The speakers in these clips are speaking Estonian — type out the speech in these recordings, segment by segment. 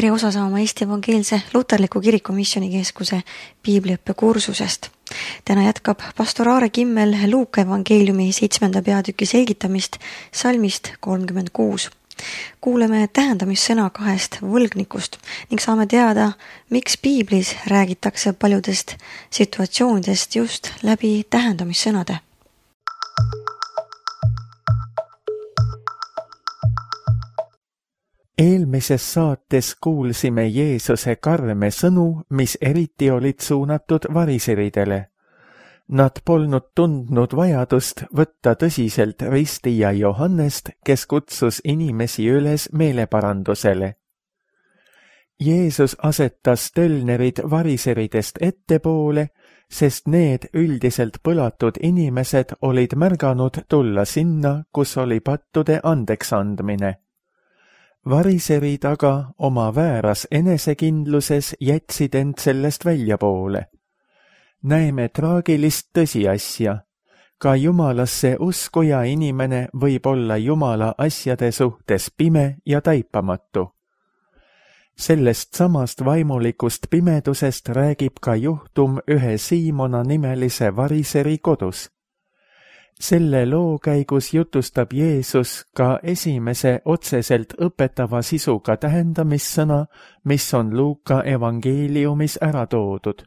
tere osa saama Eesti Evangeelse Luterliku Kiriku Missioonikeskuse piibliõppekursusest. Täna jätkab pastor Aare Kimmel Luuka evangeeliumi 7. peatüki selgitamist salmist 36. Kuuleme tähendamissõna 2 võlgnikust ning saame teada, miks piiblis räägitakse paljudest situatsioonidest just läbi tähendamissõnade. Eelmises saates kuulsime Jeesuse karme sõnu, mis eriti olid suunatud variseridele. Nad polnud tundnud vajadust võtta tõsiselt ristija Johannest, kes kutsus inimesi üles meeleparandusele. Jeesus asetas tölnerid variseridest ettepoole, sest need üldiselt põlatud inimesed olid märganud tulla sinna, kus oli pattude andeksandmine. Variserid aga oma vääras enesekindluses jätsid end sellest väljapoole. Näeme traagilist tõsiasja. Ka Jumalasse uskuja inimene võib olla Jumala asjade suhtes pime ja taipamatu. Sellest samast vaimulikust pimedusest räägib ka juhtum ühe Siimona nimelise variseri kodus. Selle loo käigus jutustab Jeesus ka esimese otseselt õpetava sisuga tähendamissõna, mis on Luuka evangeeliumis ära toodud.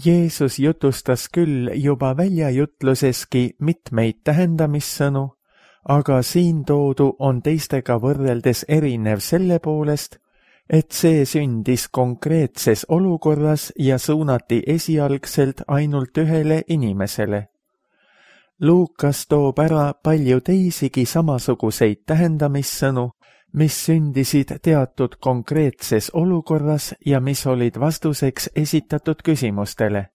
Jeesus jutustas küll juba väljajutluseski mitmeid tähendamissõnu, aga siin toodu on teistega võrreldes erinev selle poolest, et see sündis konkreetses olukorras ja suunati esialgselt ainult ühele inimesele. Luukas toob ära palju teisigi samasuguseid tähendamissõnu, mis sündisid teatud konkreetses olukorras ja mis olid vastuseks esitatud küsimustele.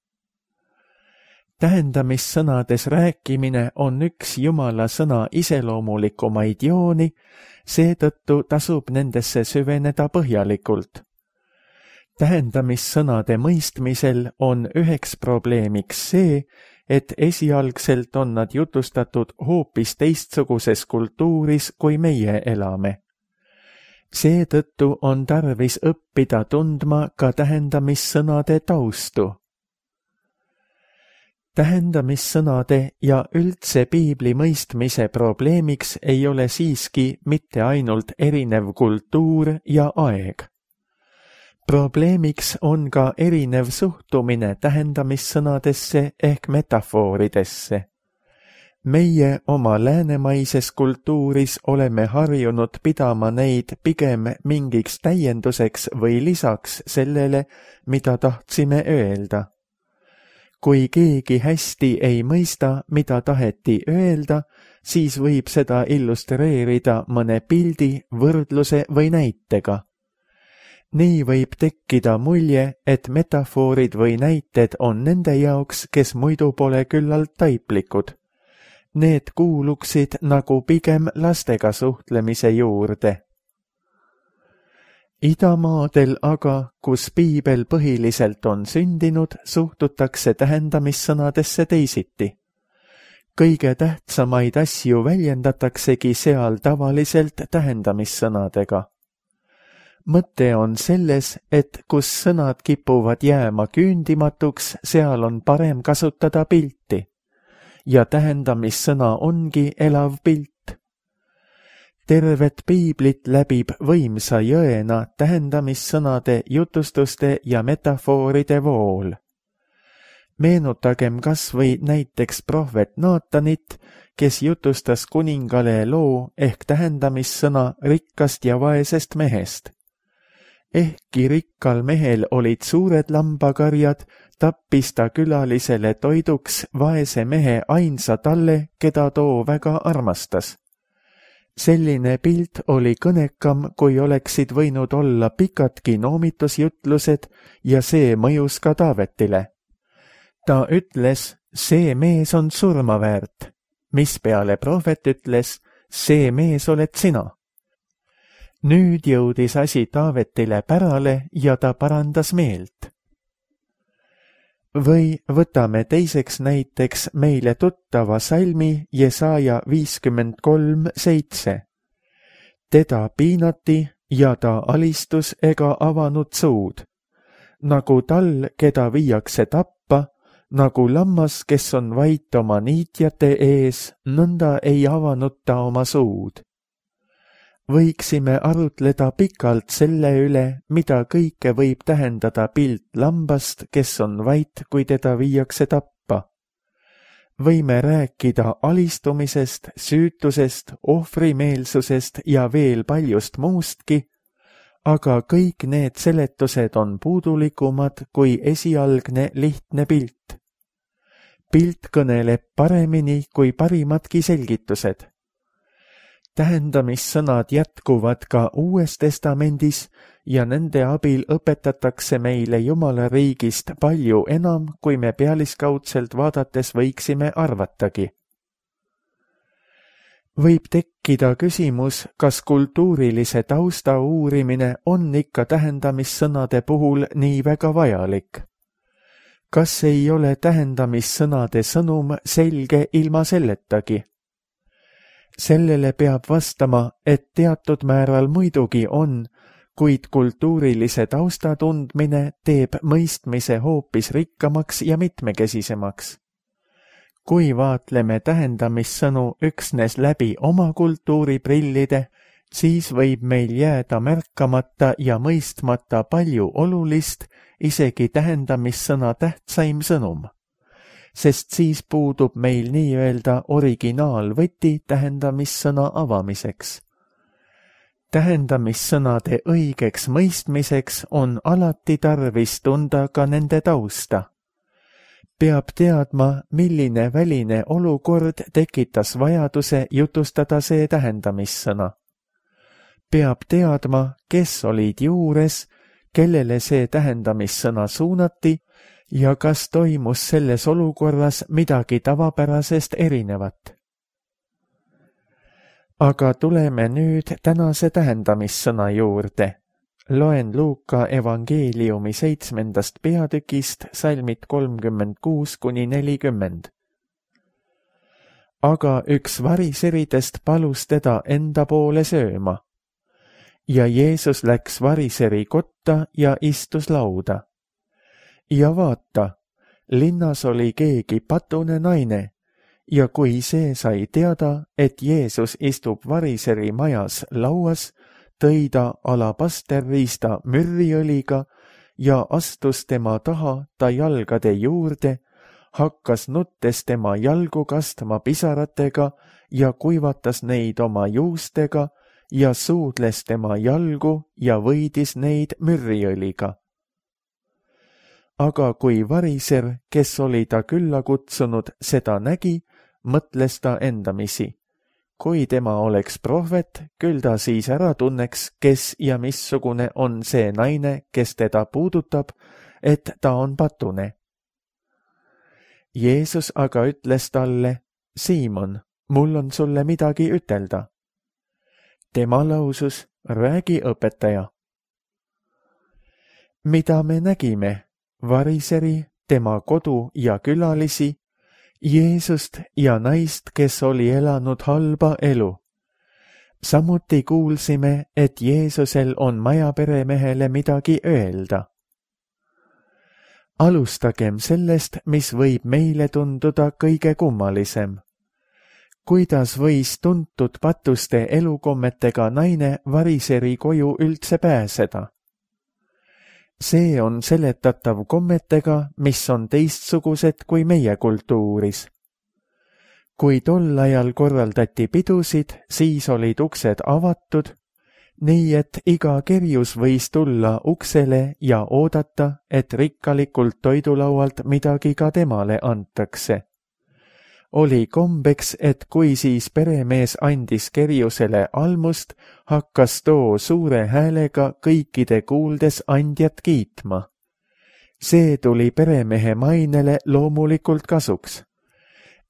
Tähendamissõnades rääkimine on üks Jumala sõna iseloomulikumaid jooni, seetõttu tasub nendesse süveneda põhjalikult. Tähendamissõnade mõistmisel on üheks probleemiks see, et esialgselt on nad jutustatud hoopis teistsuguses kultuuris, kui meie elame. Seetõttu on tarvis õppida tundma ka tähendamissõnade taustu. Tähendamissõnade ja üldse piibli mõistmise probleemiks ei ole siiski mitte ainult erinev kultuur ja aeg. Probleemiks on ka erinev suhtumine tähendamissõnadesse ehk metafooridesse. Meie oma läänemaises kultuuris oleme harjunud pidama neid pigem mingiks täienduseks või lisaks sellele, mida tahtsime öelda. Kui keegi hästi ei mõista, mida taheti öelda, siis võib seda illustreerida mõne pildi, võrdluse või näitega. Nii võib tekkida mulje, et metafoorid või näited on nende jaoks, kes muidu pole küllalt taiplikud. Need kuuluksid nagu pigem lastega suhtlemise juurde. Idamaadel aga, kus piibel põhiliselt on sündinud, suhtutakse tähendamissõnadesse teisiti. Kõige tähtsamaid asju väljendataksegi seal tavaliselt tähendamissõnadega. Mõte on selles, et kus sõnad kipuvad jääma küündimatuks, seal on parem kasutada pilti. Ja tähendamissõna ongi elav pilt. Tervet piiblit läbib võimsa jõena tähendamissõnade, jutustuste ja metafooride vool. Meenutagem kas või näiteks prohvet Naatanit, kes jutustas kuningale loo ehk tähendamissõna rikkast ja vaesest mehest. Ehkki rikkal mehel olid suured lambakarjad, tappis ta külalisele toiduks vaese mehe ainsa talle, keda too väga armastas. Selline pilt oli kõnekam, kui oleksid võinud olla pikadki noomitusjutlused ja see mõjus ka Taavetile. Ta ütles, see mees on surma väärt, mispeale prohvet ütles, see mees oled sina. Nüüd jõudis asi Taavetile pärale ja ta parandas meelt. Või võtame teiseks näiteks meile tuttava salmi Jesaja 53:7. Teda piinati ja ta alistus ega avanud suud. Nagu tal, keda viiakse tappa, nagu lammas, kes on vait oma niitjate ees, nõnda ei avanud ta oma suud. Võiksime arutleda pikalt selle üle, mida kõike võib tähendada pilt lambast, kes on vait, kui teda viiakse tappa. Võime rääkida alistumisest, süütusest, ohvrimeelsusest ja veel paljust muustki, aga kõik need seletused on puudulikumad kui esialgne lihtne pilt. Pilt kõneleb paremini kui parimadki selgitused. Tähendamissõnad jätkuvad ka Uues Testamendis ja nende abil õpetatakse meile Jumala riigist palju enam, kui me pealiskaudselt vaadates võiksime arvatagi. Võib tekkida küsimus, kas kultuurilise tausta uurimine on ikka tähendamissõnade puhul nii väga vajalik. Kas ei ole tähendamissõnade sõnum selge ilma selletagi? Sellele peab vastama, et teatud määral muidugi on, kuid kultuurilise tausta tundmine teeb mõistmise hoopis rikkamaks ja mitmekesisemaks. Kui vaatleme tähendamissõnu üksnes läbi oma kultuuri prillide, siis võib meil jääda märkamata ja mõistmata palju olulist, isegi tähendamissõna tähtsaim sõnum. Sest siis puudub meil nii-öelda originaalvõti tähendamissõna avamiseks. Tähendamissõnade õigeks mõistmiseks on alati tarvis tunda ka nende tausta. Peab teadma, milline väline olukord tekitas vajaduse jutustada see tähendamissõna. Peab teadma, kes olid juures, kellele see tähendamissõna suunati ja kas toimus selles olukorras midagi tavapärasest erinevat. Aga tuleme nüüd tänase tähendamissõna juurde. Loen Luuka evangeeliumi 7. peatükist salmid 36–40. Aga üks variseridest palus teda enda poole sööma. Ja Jeesus läks variseri kotta ja istus lauda. Ja vaata, linnas oli keegi patune naine, ja kui see sai teada, et Jeesus istub variseri majas lauas, tõi ta alabasterriista mürriõliga ja astus tema taha ta jalgade juurde, hakkas nuttes tema jalgu kastma pisaratega ja kuivatas neid oma juustega ja suudles tema jalgu ja võidis neid mürriõliga. Aga kui variser, kes oli ta külla kutsunud, seda nägi, mõtles ta endamisi. Kui tema oleks prohvet, küll ta siis ära tunneks, kes ja missugune on see naine, kes teda puudutab, et ta on patune. Jeesus aga ütles talle, Siimon, mul on sulle midagi ütelda. Tema lausus, räägi, õpetaja. Mida me nägime? Variseri, tema kodu ja külalisi, Jeesust ja naist, kes oli elanud halba elu. Samuti kuulsime, et Jeesusel on majaperemehele midagi öelda. Alustagem sellest, mis võib meile tunduda kõige kummalisem. Kuidas võis tuntud patuste elukommetega naine variseri koju üldse pääseda? See on seletatav kommetega, mis on teistsugused kui meie kultuuris. Kui tol ajal korraldati pidusid, siis olid uksed avatud, nii et iga kerjus võis tulla uksele ja oodata, et rikkalikult toidulaualt midagi ka temale antakse. Oli kombeks, et kui siis peremees andis kerjusele almust, hakkas too suure häälega kõikide kuuldes andjat kiitma. See tuli peremehe mainele loomulikult kasuks.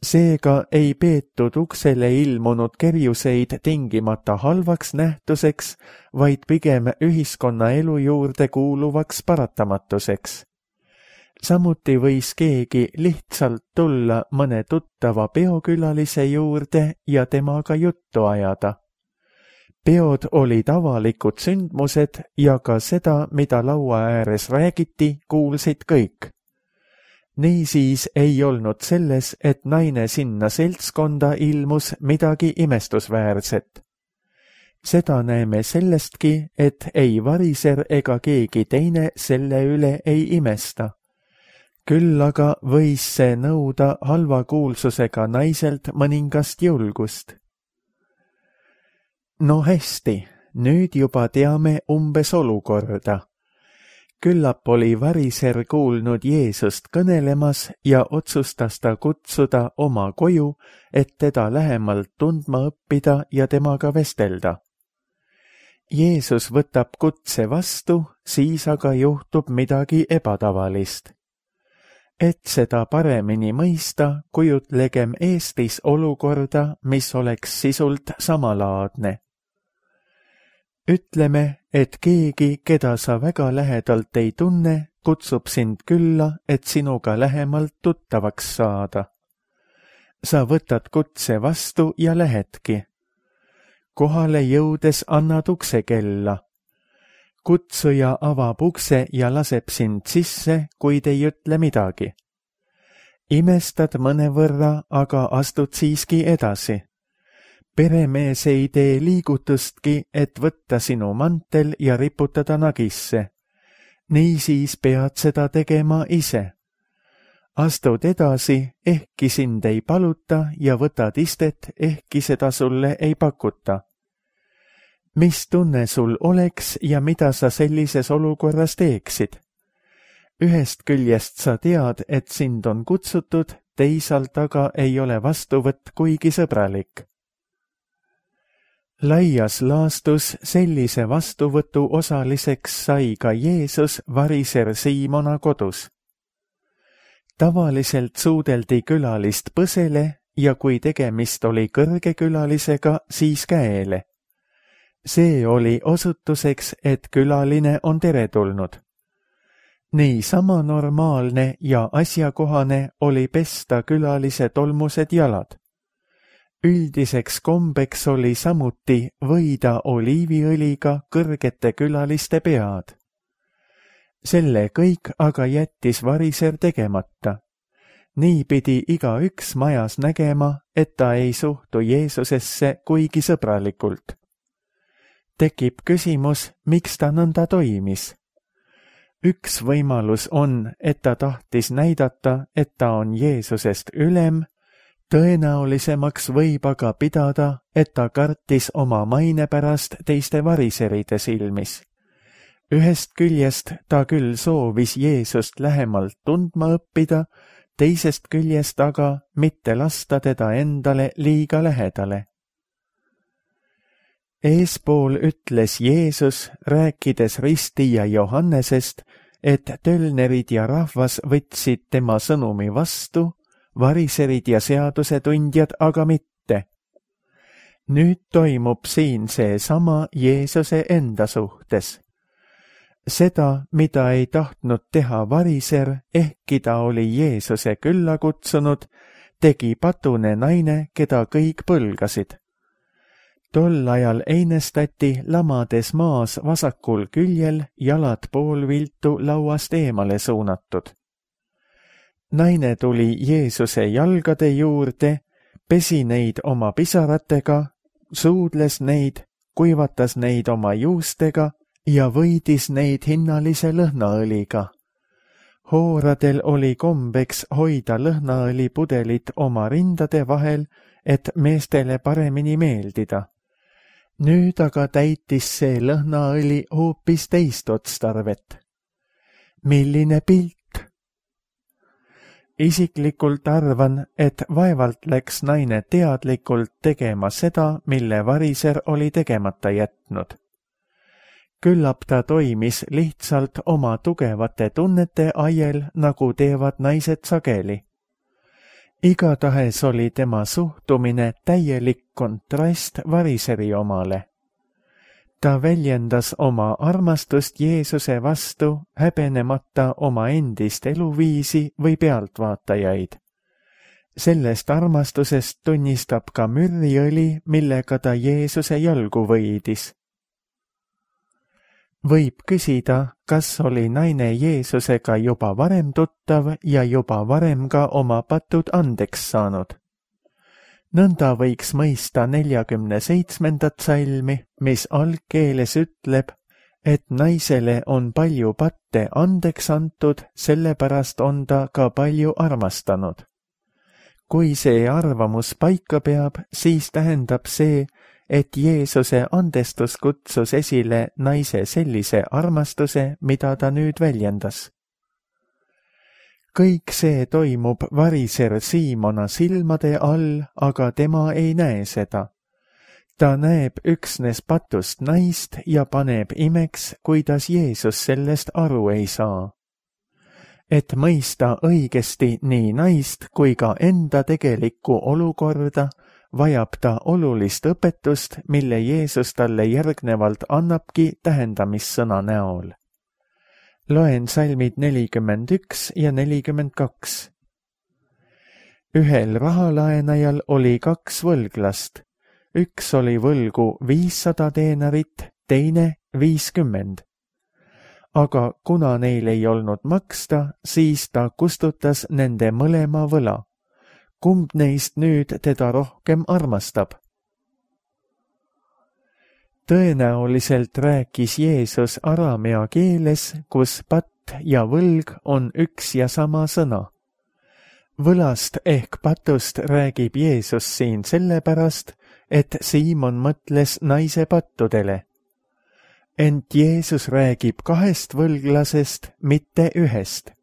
Seega ei peetud uksele ilmunud kerjuseid tingimata halvaks nähtuseks, vaid pigem ühiskonnaelu juurde kuuluvaks paratamatuseks. Samuti võis keegi lihtsalt tulla mõne tuttava peokülalise juurde ja temaga juttu ajada. peod olid avalikud sündmused ja ka seda, mida laua ääres räägiti, kuulsid kõik. Niisiis ei olnud selles, et naine sinna seltskonda ilmus, midagi imestusväärset. Seda näeme sellestki, et ei variser ega keegi teine selle üle ei imesta. Küll aga võis see nõuda halva kuulsusega naiselt mõningast julgust. No hästi, nüüd juba teame umbes olukorda. Küllap oli variser kuulnud Jeesust kõnelemas ja otsustas ta kutsuda oma koju, et teda lähemalt tundma õppida ja temaga vestelda. Jeesus võtab kutse vastu, siis aga juhtub midagi ebatavalist. Et seda paremini mõista, kujutlegem Eestis olukorda, mis oleks sisult samalaadne. Ütleme, et keegi, keda sa väga lähedalt ei tunne, kutsub sind külla, et sinuga lähemalt tuttavaks saada. Sa võtad kutse vastu ja lähedki. Kohale jõudes annad ukse kella. Kutsuja avab ukse ja laseb sind sisse, kuid ei ütle midagi. Imestad mõnevõrra, aga astud siiski edasi. Peremees ei tee liigutustki, et võtta sinu mantel ja riputada nagisse. Niisiis pead seda tegema ise. Astud edasi, ehkki sind ei paluta ja võtad istet, ehkki seda sulle ei pakuta. Mis tunne sul oleks ja mida sa sellises olukorras teeksid? Ühest küljest sa tead, et sind on kutsutud, teisalt aga ei ole vastuvõtt kuigi sõbralik. Laias laastus sellise vastuvõtu osaliseks sai ka Jeesus variser Siimona kodus. Tavaliselt suudeldi külalist põsele ja kui tegemist oli kõrgekülalisega, siis käele. See oli osutuseks, et külaline on teretulnud. Nii sama normaalne ja asjakohane oli pesta külalise tolmused jalad. Üldiseks kombeks oli samuti võida oliiviõliga kõrgete külaliste pead. Selle kõik aga jättis variser tegemata. Nii pidi igaüks majas nägema, et ta ei suhtu Jeesusesse kuigi sõbralikult. Tekib küsimus, miks ta nõnda toimis. Üks võimalus on, et ta tahtis näidata, et ta on Jeesusest ülem, tõenäolisemaks võib aga pidada, et ta kartis oma maine pärast teiste variseride silmis. Ühest küljest ta küll soovis Jeesust lähemalt tundma õppida, teisest küljest aga mitte lasta teda endale liiga lähedale. Eespool ütles Jeesus, rääkides ristija Johannesest, et tölnerid ja rahvas võtsid tema sõnumi vastu, variserid ja seadusetundjad aga mitte. Nüüd toimub siin seesama Jeesuse enda suhtes. Seda, mida ei tahtnud teha variser, ehkki ta oli Jeesuse külla kutsunud, tegi patune naine, keda kõik põlgasid. Tol ajal einestati lamades maas vasakul küljel, jalad poolviltu lauast eemale suunatud. Naine tuli Jeesuse jalgade juurde, pesi neid oma pisaratega, suudles neid, kuivatas neid oma juustega ja võidis neid hinnalise lõhnaõliga. Hooradel oli kombeks hoida lõhnaõlipudelit oma rindade vahel, et meestele paremini meeldida. Nüüd aga täitis see lõhnaõli hoopis teist otstarvet. Milline pilt! Isiklikult arvan, et vaevalt läks naine teadlikult tegema seda, mille variser oli tegemata jätnud. Küllap ta toimis lihtsalt oma tugevate tunnete ajel, nagu teevad naised sageli. Igatahes oli tema suhtumine täielik kontrast variseri omale. Ta väljendas oma armastust Jeesuse vastu, häbenemata oma endist eluviisi või pealtvaatajaid. Sellest armastusest tunnistab ka mürriõli, millega ta Jeesuse jalgu võidis. Võib küsida, kas oli naine Jeesusega juba varem tuttav ja juba varem ka oma patud andeks saanud. Nõnda võiks mõista 47. salmi, mis algkeeles ütleb, et naisele on palju patte andeks antud, sellepärast on ta ka palju armastanud. Kui see arvamus paika peab, siis tähendab see, et Jeesuse andestus kutsus esile naise sellise armastuse, mida ta nüüd väljendas. Kõik see toimub variser Siimona silmade all, aga tema ei näe seda. Ta näeb üksnes patust naist ja paneb imeks, kuidas Jeesus sellest aru ei saa. Et mõista õigesti nii naist kui ka enda tegelikku olukorda, vajab ta olulist õpetust, mille Jeesus talle järgnevalt annabki tähendamissõna näol. Loen salmid 41 ja 42. Ühel rahalaenajal oli 2 võlglast. Üks oli võlgu 500 denarit, teine 50. Aga kuna neil ei olnud maksta, siis ta kustutas nende mõlema võla. Kumb neist nüüd teda rohkem armastab? Tõenäoliselt rääkis Jeesus araamea keeles, kus patt ja võlg on üks ja sama sõna. Võlast ehk patust räägib Jeesus siin sellepärast, et Siimon mõtles naise pattudele. Ent Jeesus räägib 2 võlglasest, mitte 1.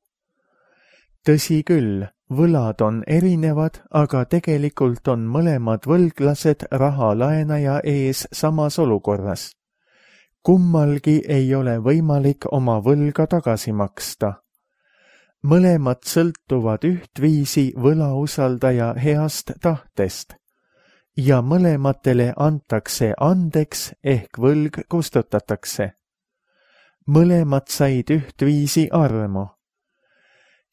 Tõsi küll, võlad on erinevad, aga tegelikult on mõlemad võlglased rahalaenaja ees samas olukorras. Kummalgi ei ole võimalik oma võlga tagasi maksta. Mõlemad sõltuvad ühtviisi võlausaldaja heast tahtest. Ja mõlematele antakse andeks ehk võlg kustutatakse. Mõlemad said ühtviisi armu.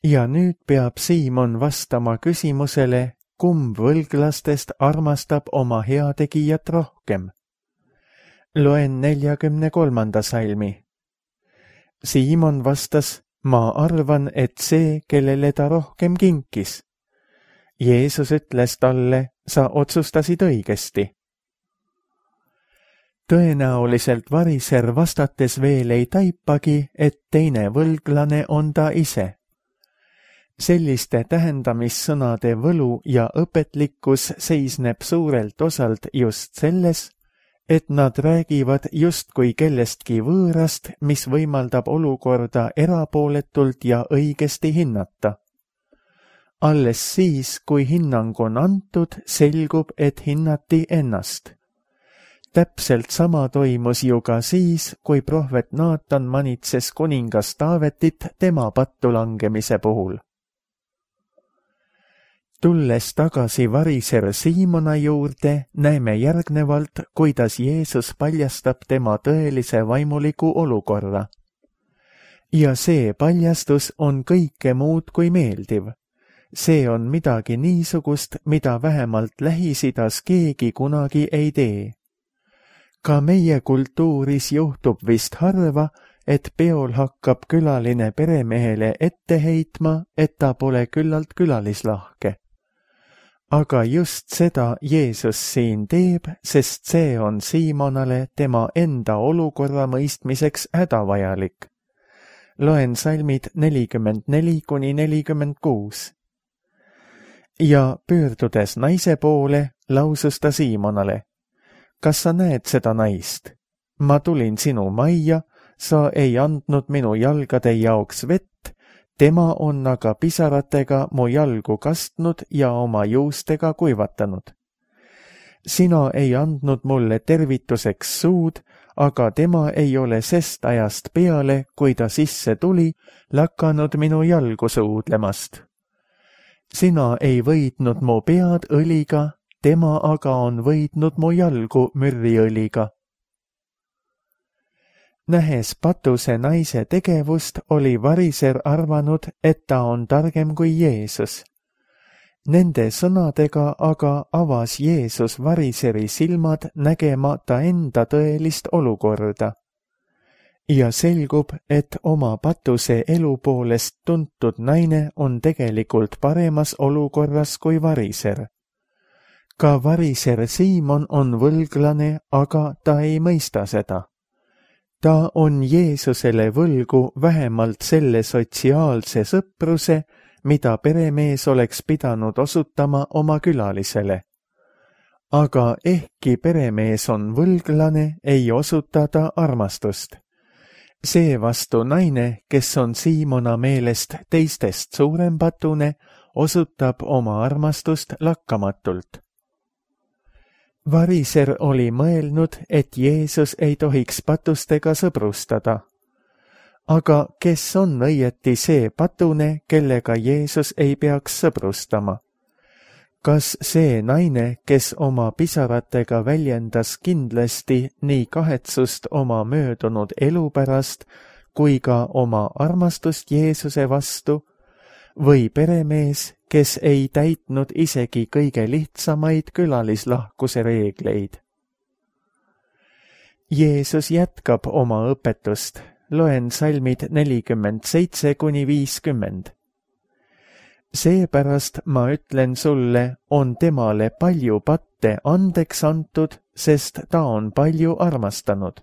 Ja nüüd peab Siimon vastama küsimusele, kumb võlglastest armastab oma heategijat rohkem. Loen 43. salmi. Siimon vastas, ma arvan, et see, kellele ta rohkem kinkis. Jeesus ütles talle, sa otsustasid õigesti. Tõenäoliselt variser vastates veel ei taipagi, et teine võlglane on ta ise. Selliste tähendamissõnade võlu ja õpetlikkus seisneb suurelt osalt just selles, et nad räägivad justkui kellestki võõrast, mis võimaldab olukorda erapooletult ja õigesti hinnata. Alles siis, kui hinnang on antud, selgub, et hinnati ennast. Täpselt sama toimus ju ka siis, kui prohvet Naatan manitses kuningas Taavetit tema pattu langemise puhul. Tulles tagasi variser Siimona juurde, näeme järgnevalt, kuidas Jeesus paljastab tema tõelise vaimuliku olukorra. Ja see paljastus on kõike muud kui meeldiv. See on midagi niisugust, mida vähemalt Lähis-Idas keegi kunagi ei tee. Ka meie kultuuris juhtub vist harva, et peol hakkab külaline peremehele ette heitma, et ta pole küllalt külalislahke. Aga just seda Jeesus siin teeb, sest see on Siimonale tema enda olukorra mõistmiseks hädavajalik. Loen salmid 44–46. Ja pöördudes naise poole, lausus ta Siimonale, kas sa näed seda naist? Ma tulin sinu majja, sa ei andnud minu jalgade jaoks vett, tema on aga pisaratega mu jalgu kastnud ja oma juustega kuivatanud. Sina ei andnud mulle tervituseks suud, aga tema ei ole sest ajast peale, kui ta sisse tuli, lakanud minu jalgu suudlemast. Sina ei võidnud mu pead õliga, tema aga on võidnud mu jalgu mürriõliga. Nähes patuse naise tegevust, oli variser arvanud, et ta on targem kui Jeesus. Nende sõnadega aga avas Jeesus variseri silmad nägema ta enda tõelist olukorda. Ja selgub, et oma patuse elu poolest tuntud naine on tegelikult paremas olukorras kui variser. Ka variser Siimon on võlglane, aga ta ei mõista seda. Ta on Jeesusele võlgu vähemalt selle sotsiaalse sõpruse, mida peremees oleks pidanud osutama oma külalisele. Aga ehkki peremees on võlglane, ei osuta ta armastust. Seevastu naine, kes on Siimona meelest teistest suurem patune, osutab oma armastust lakkamatult. Variser oli mõelnud, et Jeesus ei tohiks patustega sõbrustada. Aga kes on õieti see patune, kellega Jeesus ei peaks sõbrustama? Kas see naine, kes oma pisaratega väljendas kindlasti nii kahetsust oma möödunud elu pärast kui ka oma armastust Jeesuse vastu, või peremees, kes ei täitnud isegi kõige lihtsamaid külalislahkuse reegleid? Jeesus jätkab oma õpetust. Loen salmid 47–50. Seepärast ma ütlen sulle, on temale palju patte andeks antud, sest ta on palju armastanud.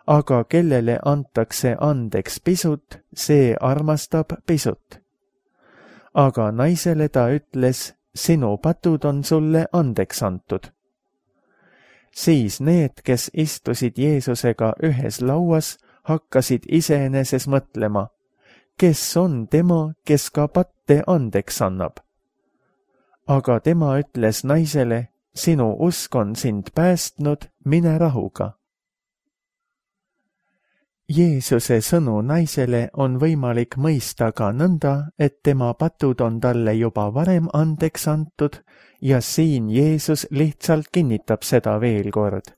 Aga kellele antakse andeks pisut, see armastab pisut. Aga naisele ta ütles, sinu patud on sulle andeks antud. Siis need, kes istusid Jeesusega ühes lauas, hakkasid iseeneses mõtlema, kes on tema, kes ka patte andeks annab. Aga tema ütles naisele, sinu usk on sind päästnud, mine rahuga. Jeesuse sõnu naisele on võimalik mõista ka nõnda, et tema patud on talle juba varem andeks antud ja siin Jeesus lihtsalt kinnitab seda veel kord.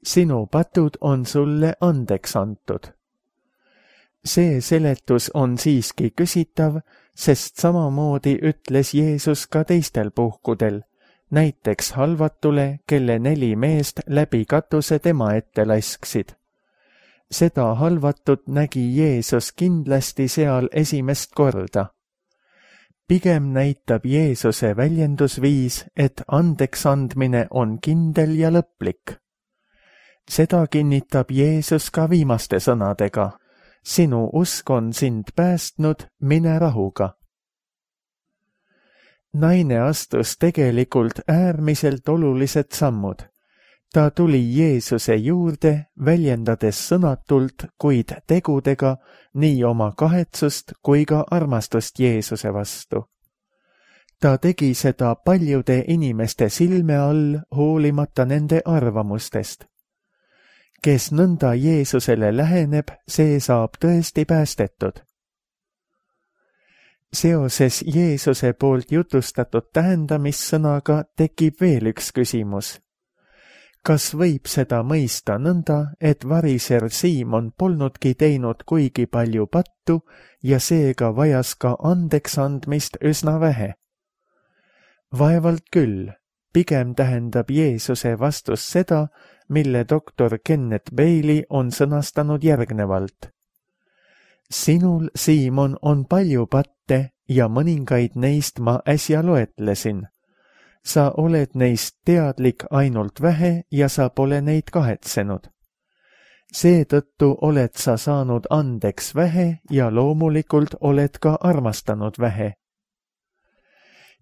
Sinu patud on sulle andeks antud. See seletus on siiski küsitav, sest samamoodi ütles Jeesus ka teistel puhkudel, näiteks halvatule, kelle 4 meest läbi katuse tema ette lasksid. Seda halvatut nägi Jeesus kindlasti seal esimest korda. Pigem näitab Jeesuse väljendusviis, et andeks andmine on kindel ja lõplik. Seda kinnitab Jeesus ka viimaste sõnadega. Sinu usk on sind päästnud, mine rahuga. Naine astus tegelikult äärmiselt olulised sammud. Ta tuli Jeesuse juurde, väljendades sõnatult, kuid tegudega nii oma kahetsust kui ka armastust Jeesuse vastu. Ta tegi seda paljude inimeste silme all, hoolimata nende arvamustest. Kes nõnda Jeesusele läheneb, see saab tõesti päästetud. Seoses Jeesuse poolt jutustatud tähendamissõnaga tekib veel üks küsimus. Kas võib seda mõista nõnda, et variser Siimon polnudki teinud kuigi palju pattu ja seega vajas ka andeks andmist üsna vähe? Vaevalt küll, pigem tähendab Jeesuse vastus seda, mille doktor Kenneth Bailey on sõnastanud järgnevalt. Sinul, Siimon, on palju patte ja mõningaid neist ma äsja loetlesin. Sa oled neist teadlik ainult vähe ja sa pole neid kahetsenud. Seetõttu oled sa saanud andeks vähe ja loomulikult oled ka armastanud vähe.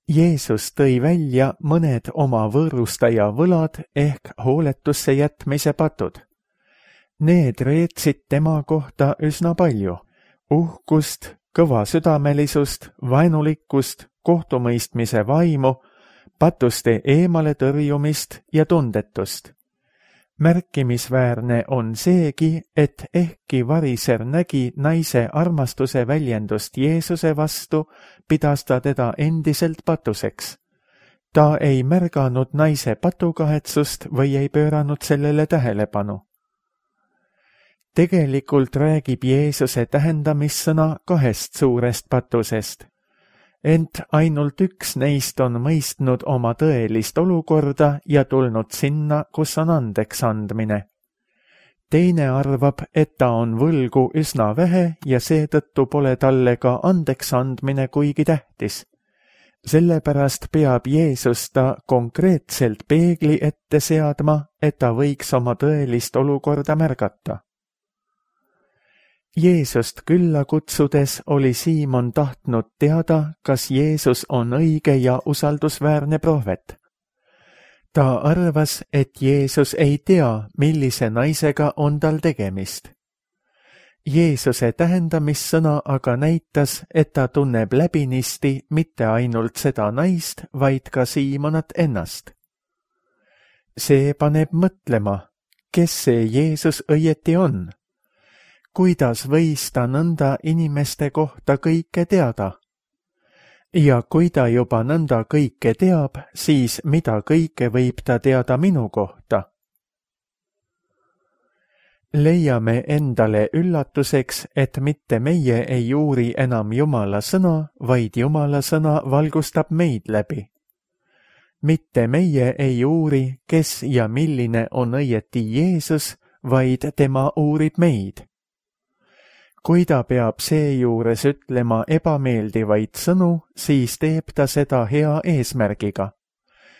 Jeesus tõi välja mõned oma võõrustaja võlad ehk hooletusse jätmise patud. Need reetsid tema kohta üsna palju. Uhkust, kõvasüdamelisust, vaenulikkust, kohtumõistmise vaimu, patuste eemale tõrjumist ja tundetust. Märkimisväärne on seegi, et ehkki variser nägi naise armastuse väljendust Jeesuse vastu, pidas ta teda endiselt patuseks. Ta ei märganud naise patukahetsust või ei pööranud sellele tähelepanu. Tegelikult räägib Jeesuse tähendamissõna 2 suurest patusest. ent ainult üks neist on mõistnud oma tõelist olukorda ja tulnud sinna, kus on andeks andmine. Teine arvab, et ta on võlgu üsna vähe ja seetõttu pole talle ka andeks andmine kuigi tähtis. Sellepärast peab Jeesus ta konkreetselt peegli ette seadma, et ta võiks oma tõelist olukorda märgata. Jeesust külla kutsudes oli Siimon tahtnud teada, kas Jeesus on õige ja usaldusväärne prohvet. Ta arvas, et Jeesus ei tea, millise naisega on tal tegemist. Jeesuse tähendamissõna aga näitas, et ta tunneb läbinisti mitte ainult seda naist, vaid ka Siimonat ennast. See paneb mõtlema, kes see Jeesus õieti on. Kuidas võis ta nõnda inimeste kohta kõike teada? Ja kui ta juba nõnda kõike teab, siis mida kõike võib ta teada minu kohta? Leiame endale üllatuseks, et mitte meie ei uuri enam Jumala sõna, vaid Jumala sõna valgustab meid läbi. Mitte meie ei uuri, kes ja milline on õieti Jeesus, vaid tema uurib meid. Kui ta peab seejuures ütlema ebameeldivaid sõnu, siis teeb ta seda hea eesmärgiga.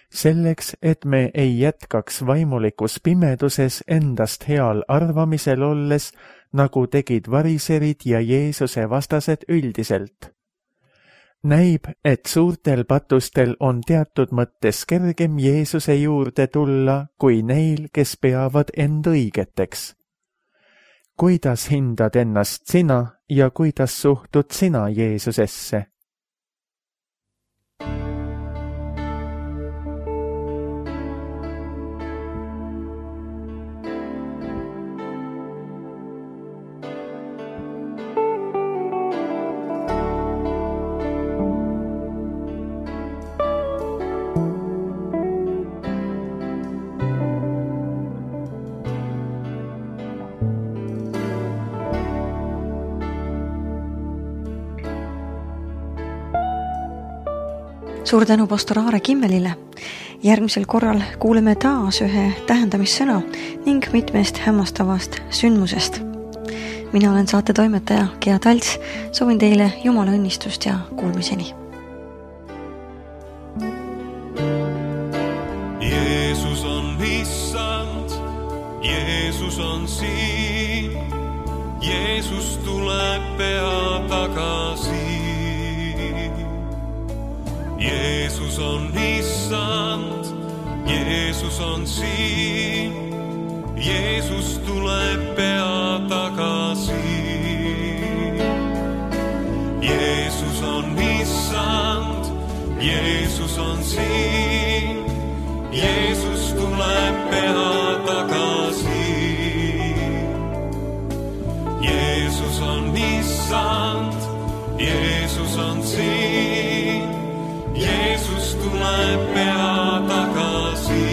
Selleks, et me ei jätkaks vaimulikus pimeduses endast heal arvamisel olles, nagu tegid variserid ja Jeesuse vastased üldiselt. Näib, et suurtel patustel on teatud mõttes kergem Jeesuse juurde tulla, kui neil, kes peavad end õigeteks. Kuidas hindad ennast sina ja kuidas suhtud sina Jeesusesse? Suur tänu pastor Aare Kimmelile. Järgmisel korral kuuleme taas ühe tähendamissõna ning mitmest hämmastavast sündmusest. Mina olen saate toimetaja Gea Talts, soovin teile Jumala õnnistust ja kuulmiseni. Jeesus on issand, Jeesus on siin, Jeesus tuleb pea tagasi. Jeesus on issand, Jeesus on siin, Jeesus tuleb pea tagasi. Jeesus on issand, Jeesus on siin, Jeesus tuleb pea tagasi. Jeesus on issand, Jeesus on siin, Jeesus tuleb pea tagasi.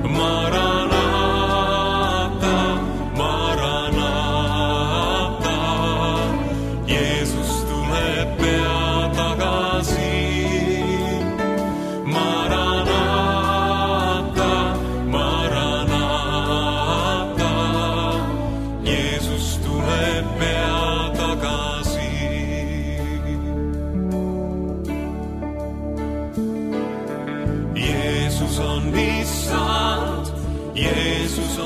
Maranata, Maranata, Jeesus tuleb pea tagasi. Maranata, Maranata, Jeesus tuleb pea tagasi. Jeesus on issand, Jeesus